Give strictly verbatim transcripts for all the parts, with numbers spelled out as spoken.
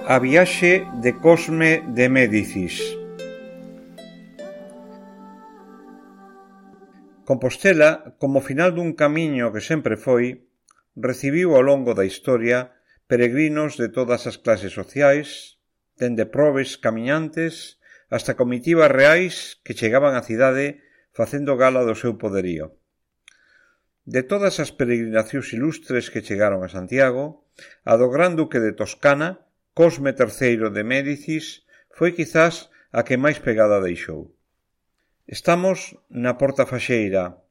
A viaxe de Cosme de Médicis. Compostela, como final dun camiño que sempre foi, recibiu ao longo da historia peregrinos de todas as clases sociais, dende probes camiñantes hasta comitivas reais que chegaban á cidade facendo gala do seu poderío. De todas as peregrinacións ilustres que chegaron a Santiago, a do Gran Duque de Toscana, Cosme terceiro de Médicis, foi quizás a que máis pegada deixou. Estamos na Porta Faxeira.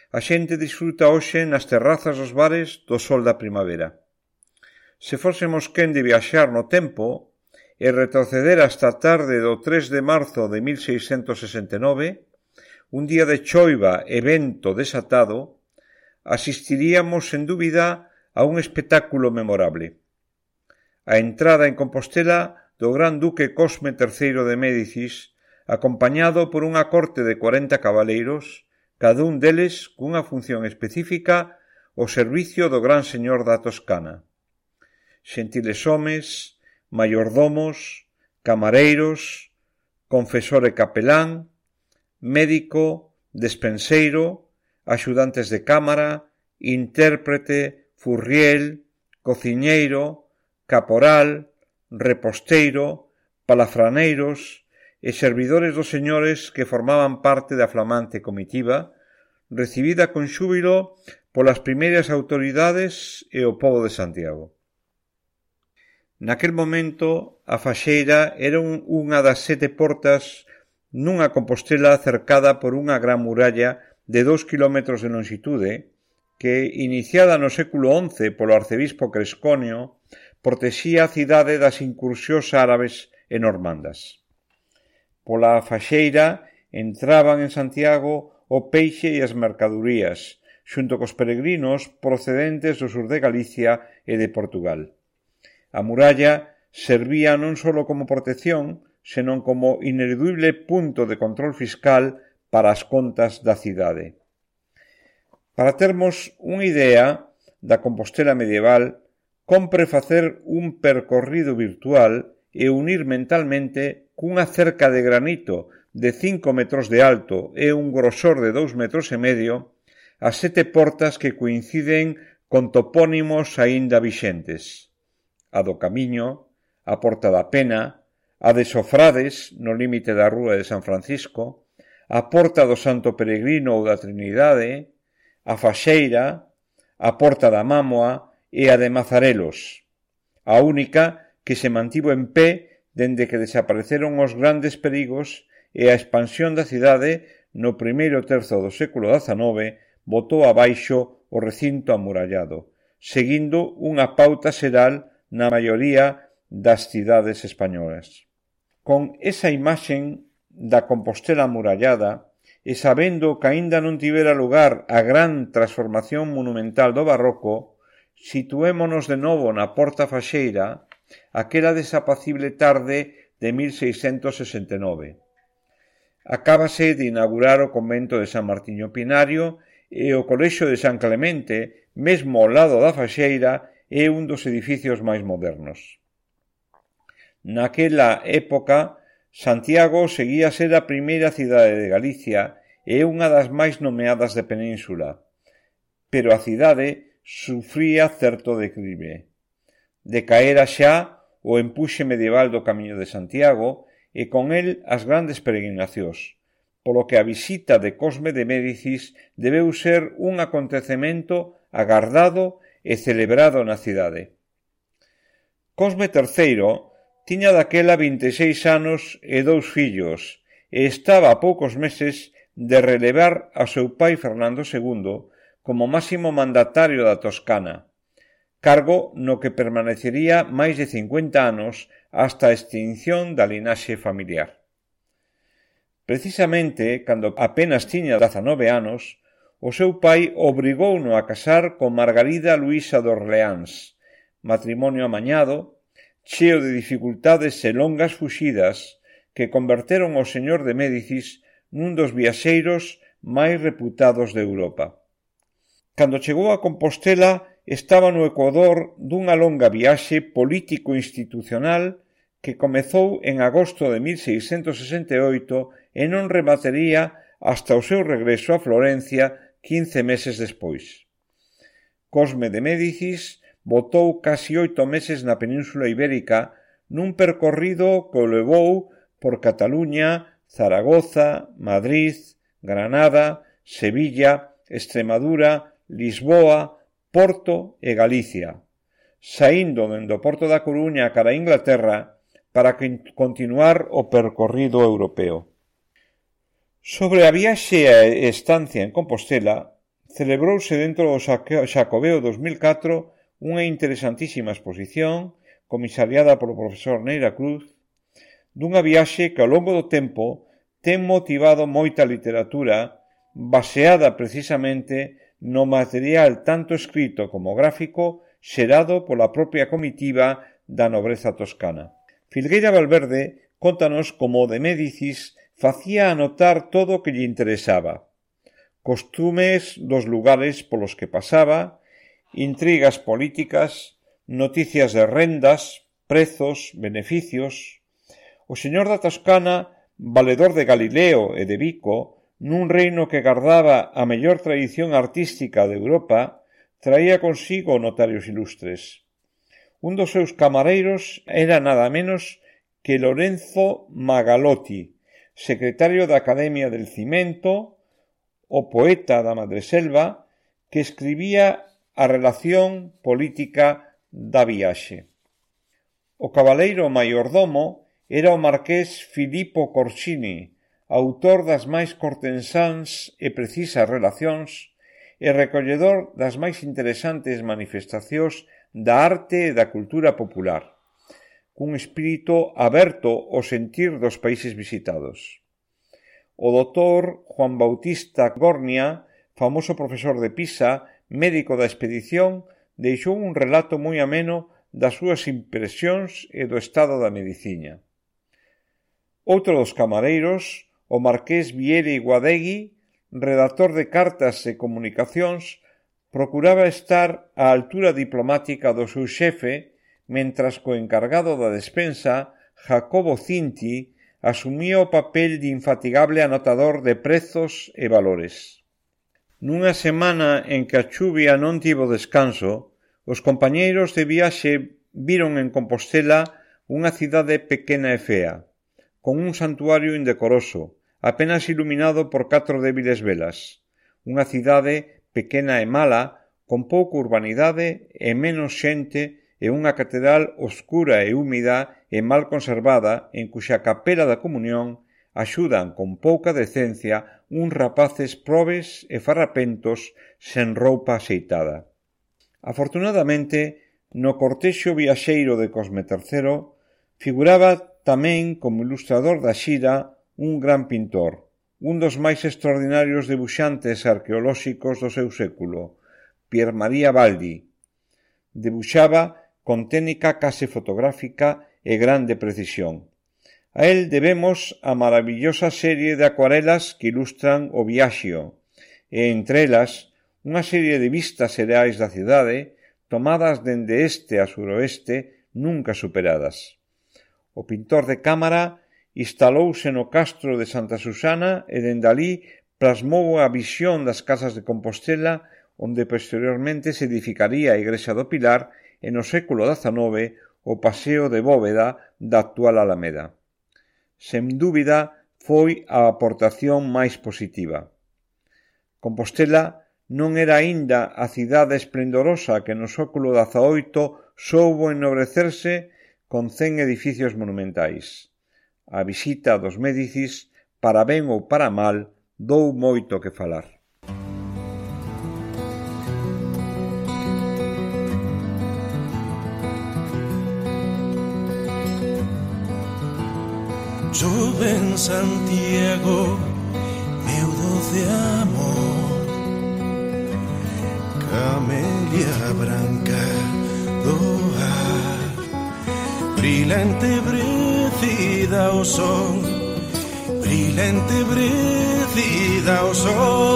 A xente disfruta hoxe nas terrazas dos bares do sol da primavera. Se fósemos quen de viaxar no tempo e retroceder hasta a tarde do tres de marzo de mil seiscentos sesenta e nove, un día de choiva e vento desatado, asistiríamos sen dúbida a un espectáculo memorable. A entrada en Compostela do Gran Duque Cosme terceiro de Médicis, acompañado por unha corte de cuarenta cabaleiros, cada un deles cunha función específica ao servicio do Gran Señor da Toscana. Xentiles homes, maiordomos, camareiros, confesor e capelán, médico, despenseiro, axudantes de cámara, intérprete, furriel, cociñeiro, caporal, reposteiro, palafraneiros e servidores dos señores que formaban parte da flamante comitiva, recibida con xúbilo polas primeiras autoridades e o pobo de Santiago. Naquel momento, a Faxeira era un, unha das sete portas nunha Compostela cercada por unha gran muralla de dous kilómetros de longitude que, iniciada no século once polo arcebispo Cresconio, protexía a cidade das incursións árabes e normandas. Pola Faxeira entraban en Santiago o peixe e as mercadurías, xunto cos peregrinos procedentes do sur de Galicia e de Portugal. A muralla servía non só como protección, senón como ineludible punto de control fiscal para as contas da cidade. Para termos unha idea da Compostela medieval, compre facer un percorrido virtual e unir mentalmente cunha cerca de granito de cinco metros de alto e un grosor de dous metros e medio as sete portas que coinciden con topónimos aínda vixentes: a do Camiño, a Porta da Pena, a de Sofrades, no límite da rúa de San Francisco, a Porta do Santo Peregrino ou da Trinidade, a Faxeira, a Porta da Mámoa e a de Mazarelos, a única que se mantivo en pé dende que desapareceron os grandes perigos e a expansión da cidade no primeiro terzo do século dezanove botou abaixo o recinto amurallado, seguindo unha pauta xeral na maioría das cidades españolas. Con esa imaxen da Compostela amurallada e sabendo que aínda non tivera lugar a gran transformación monumental do barroco, situémonos de novo na Porta Faxeira aquela desapacible tarde de mil seiscentos sesenta e nove. Acábase de inaugurar o convento de San Martiño Pinario e o colexio de San Clemente, mesmo ao lado da Faxeira, é un dos edificios máis modernos. Naquela época, Santiago seguía a ser a primeira cidade de Galicia e unha das máis nomeadas de Península, pero a cidade sufría certo declive. Decaera xa o empuxe medieval do Camiño de Santiago e con el as grandes peregrinacións, polo que a visita de Cosme de Médicis debeu ser un acontecemento agardado e celebrado na cidade. Cosme terceiro tiña daquela vinte e seis anos e dous fillos e estaba a poucos meses de relevar a seu pai Fernando segundo como máximo mandatario da Toscana, cargo no que permanecería máis de cincuenta anos hasta a extinción da linaxe familiar. Precisamente, cando apenas tiña dezanove anos, o seu pai obrigouno a casar con Margarida Luisa de Orleáns, matrimonio amañado, cheo de dificultades e longas fuxidas que converteron ao señor de Médicis nun dos viaxeiros máis reputados de Europa. Cando chegou a Compostela, estaba no ecuador dunha longa viaxe político-institucional que comezou en agosto de mil seiscentos sesenta e oito e non rematería hasta o seu regreso a Florencia quince meses despois. Cosme de Médicis botou casi oito meses na Península Ibérica nun percorrido que o levou por Cataluña, Zaragoza, Madrid, Granada, Sevilla, Extremadura, Lisboa, Porto e Galicia, saindo dende o porto da Coruña cara a Inglaterra para continuar o percorrido europeo. Sobre a viaxe e estancia en Compostela, celebrouse dentro do Xacobeo dos mil catro unha interesantísima exposición comisariada polo profesor Neira Cruz dunha viaxe que ao longo do tempo ten motivado moita literatura baseada precisamente no material tanto escrito como gráfico xerado pola propia comitiva da nobreza toscana. Filgueira Valverde contanos como de Médicis facía anotar todo o que lle interesaba. Costumes dos lugares polos que pasaba, intrigas políticas, noticias de rendas, prezos, beneficios. O señor da Toscana, valedor de Galileo e de Vico, nun reino que gardaba a mellor tradición artística de Europa, traía consigo notarios ilustres. Un dos seus camareiros era nada menos que Lorenzo Magalotti, secretario da Academia del Cimento, o poeta da Madreselva, que escribía a relación política da viaxe. O cabaleiro maiordomo era o marqués Filippo Corsini, autor das máis cortensáns e precisas relacións e recolledor das máis interesantes manifestacións da arte e da cultura popular, cun espírito aberto ao sentir dos países visitados. O doutor Juan Bautista Gornia, famoso profesor de Pisa, médico da expedición, deixou un relato moi ameno das súas impresións e do estado da medicina. Outro dos camareiros, o marqués Viere Guadegui, redactor de cartas e comunicacións, procuraba estar á altura diplomática do seu xefe, mentras que o encargado da despensa, Jacobo Cinti, asumía o papel de infatigable anotador de prezos e valores. Nunha semana en que a chuvia non tivo descanso, os compañeiros de viaxe viron en Compostela unha cidade pequena e fea, con un santuario indecoroso, apenas iluminado por catro débiles velas, unha cidade pequena e mala, con pouca urbanidade e menos xente e unha catedral oscura e húmida e mal conservada en cuxa capela da comunión axudan con pouca decencia uns rapaces probes e farrapentos sen roupa axeitada. Afortunadamente, no cortexo viaxeiro de Cosme terceiro figuraba tamén como ilustrador da xira un gran pintor, un dos máis extraordinarios debuxantes arqueolóxicos do seu século, Pier Maria Baldi. Debuxaba con técnica case fotográfica e grande precisión. A él debemos a maravillosa serie de acuarelas que ilustran o Viaxio, e entre elas unha serie de vistas xerais da cidade, tomadas dende este a suroeste, nunca superadas. O pintor de cámara instalouse no castro de Santa Susana e dende alí plasmou a visión das casas de Compostela, onde posteriormente se edificaría a Igrexa do Pilar e no século dezanove o paseo de bóveda da actual Alameda. Sen dúbida, foi a aportación máis positiva. Compostela non era aínda a cidade esplendorosa que no século dezaoito soubo ennobrecerse con cen edificios monumentais. A visita dos Médicis, para ben ou para mal, dou moito que falar. Chove en Santiago, meu doce amor, camelia branca do ar, brilante brecida o sol, brilante brecida o sol.